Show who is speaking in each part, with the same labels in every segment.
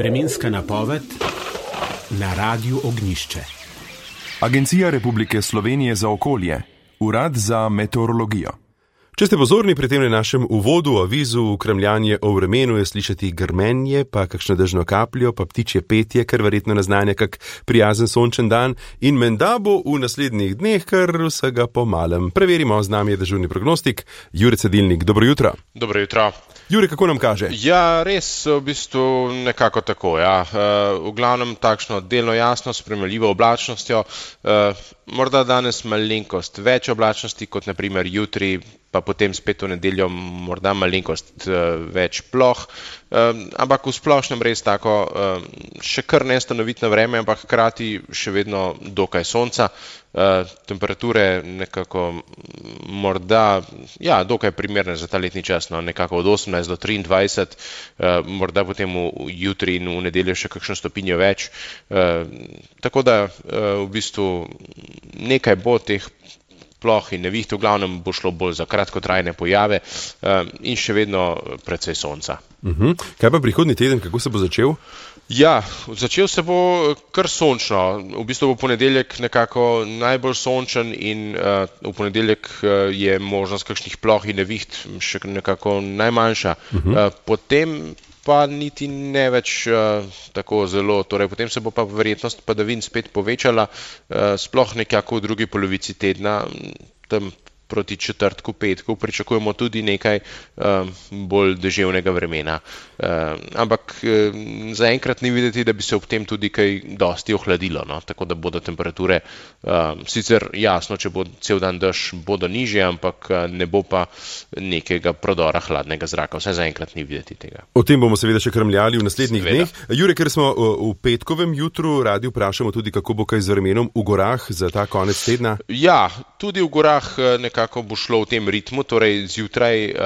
Speaker 1: Vremenska napoved na Radiu Ognjišče.
Speaker 2: Agencija Republike Slovenije za okolje, Urad za meteorologijo.
Speaker 3: Če ste pozorni pri tem našem uvodu, avizu, kremljanje o vremenu, je slišati grmenje, pa kakšno dežno kapljo, pa ptičje petje, kar verjetno naznanja kak prijazen sončen dan in menda bo v naslednjih dneh kar vsega po malem. Preverimo, z nami je dežurni prognostik Jure Cedilnik. Dobro jutro.
Speaker 4: Dobro jutro.
Speaker 3: Jure, kako nam kaže?
Speaker 4: Ja, res v bistvu nekako tako, ja. V glavnem takšno delno jasno, spremljivo oblačnostjo, morda danes malenkost več oblačnosti kot na primer jutri, pa potem spet v nedeljo morda malenkost več ploh, ampak v splošnem res tako še kar nestanovitno vreme, ampak hkrati še vedno dokaj sonca, temperature nekako morda, ja, dokaj primerne za ta letni čas, no, nekako od 18 do 23, morda potem jutri in v nedeljo še kakšno stopinjo več, tako da v bistvu nekaj bo teh ploh in neviht, v glavnem bo šlo bolj za kratkotrajne pojave in še vedno precej sonca.
Speaker 3: Kaj pa prihodnji teden, kako se bo začel?
Speaker 4: Ja, začel se bo kar sončno. V bistvu bo ponedeljek nekako najbolj sončen in v ponedeljek je možnost kakšnih ploh in neviht še nekako najmanjša. Potem pa niti ne več tako zelo, torej potem se bo pa verjetnost padavin spet povečala, sploh nekako v drugi polovici tedna, tam proti četrtku, petku, pričakujemo tudi nekaj bolj deževnega vremena. Ampak zaenkrat ni videti, da bi se ob tem tudi kaj dosti ohladilo, no? Tako da bodo temperature, sicer jasno, če bo cel dan dež, bodo nižje, ampak ne bo pa nekega prodora hladnega zraka. Vsaj zaenkrat ni videti tega.
Speaker 3: O tem bomo seveda še krmljali v naslednjih dneh. Jure, ker smo v petkovem jutru, radi vprašamo tudi, kako bo kaj z vremenom v gorah za ta konec tedna.
Speaker 4: Ja, tudi v gorah nekako bo šlo v tem ritmu, torej zjutraj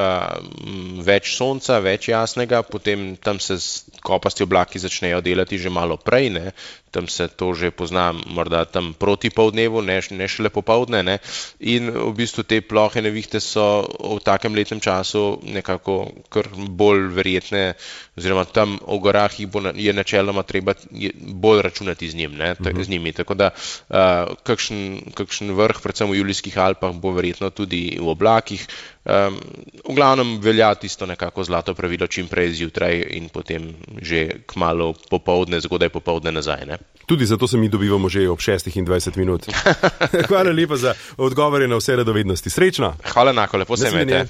Speaker 4: več sonca, več jasnega, potem tam se kopasti oblaki začnejo delati že malo prej, ne? Tam se to že pozna morda tam proti poldnevu, ne šele popoldne, ne? In v bistvu te plohe nevihte so v takem letnem času nekako kar bolj verjetne, oziroma tam v gorah je načeloma treba bolj računati z njimi, tako da kakšen vrh, predvsem v Julijskih Alpah, bo verjetno tudi v oblakih. V glavnem velja tisto nekako zlato pravilo, čim prej zjutraj in potem že kmalu popoldne, zgodaj popoldne nazaj, ne?
Speaker 3: Tudi zato se mi dobivamo že ob 6:20 minut. Hvala lepa za odgovore na vse radovednosti. Srečno!
Speaker 4: Hvala enako, lepo se imejte.